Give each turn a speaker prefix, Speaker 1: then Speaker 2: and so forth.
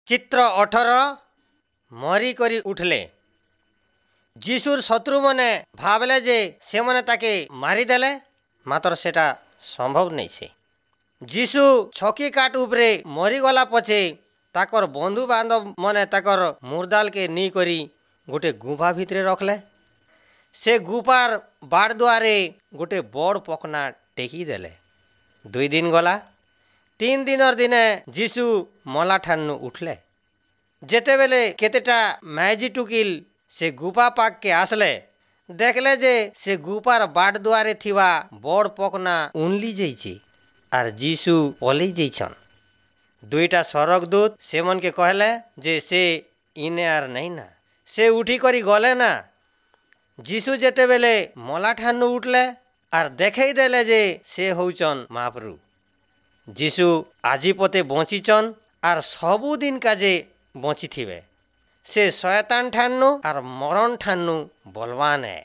Speaker 1: ଚିତ୍ର 18, ମରିକରି ଉଠଲେ। ଯୀଶୁର ଶତ୍ରୁମାନେ ଭାବଲେ ଯେ ସେମାନେ ତାକେ ମାରିଦେଲେ, ମାତ୍ର ସେଟା ସମ୍ଭବ ନେଇছে। ଯୀଶୁ ଛକି କାଠ ଉପରେ ମରିଗଲା ପଛେ ତାକର ବନ୍ଧୁବାନ୍ଧବ ମାନେ ତାକର ମୁର୍ଦାଲକେ ନେଇକରି ଗୋଟେ ଗୁମ୍ଫା ଭିତରେ ରଖଲେ। ସେ ଗୁଫାର ବାଡ଼ ଦୁଆରେ ଗୋଟେ ବଡ଼ ପକନା ଟେକି ଦେଲେ। 2 ଦିନ ଗଲା। 3 ଦିନର ଦିନେ ଯୀଶୁ ମଲା ଠାନୁ ଉଠଲେ। ଯେତେବେଲେ କେତେଟା ମାଇଜି ଟୁକିଲ ସେ ଗୁଫା ପାଖକେ ଆସିଲେ, ଦେଖିଲେ ଯେ ସେ ଗୁଫାର ବାଟ ଦୁଆରେ ଥିବା ବଡ଼ ପକନା ଉନଲି ଯାଇଛେ ଆର୍ ଯୀଶୁ ପଲେଇ ଯାଇଛନ୍। ଦୁଇଟା ସରଗଦୂତ ସେମନକେ କହିଲେ ଯେ ସେ ଇନେ ଆର୍ ନାଇଁ ନା, ସେ ଉଠିକରି ଗଲେ ନା। ଯୀଶୁ ଯେତେବେଲେ ମଲା ଠାନୁ ଉଠଲେ ଆର୍ ଦେଖେଇ ଦେଲେ ଯେ ସେ ହଉଛନ୍ ମହାପ୍ରଭୁ। ଯୀଶୁ ଆଜି ପତେ ବଞ୍ଚିଛନ୍ ଆର୍ ସବୁଦିନ କାଜେ ବଞ୍ଚିଥିବେ। ସେ ଶୟତାନ ଠାନୁ ଆର୍ ମରଣ ଠାନୁ ବଲବାନ ହେ।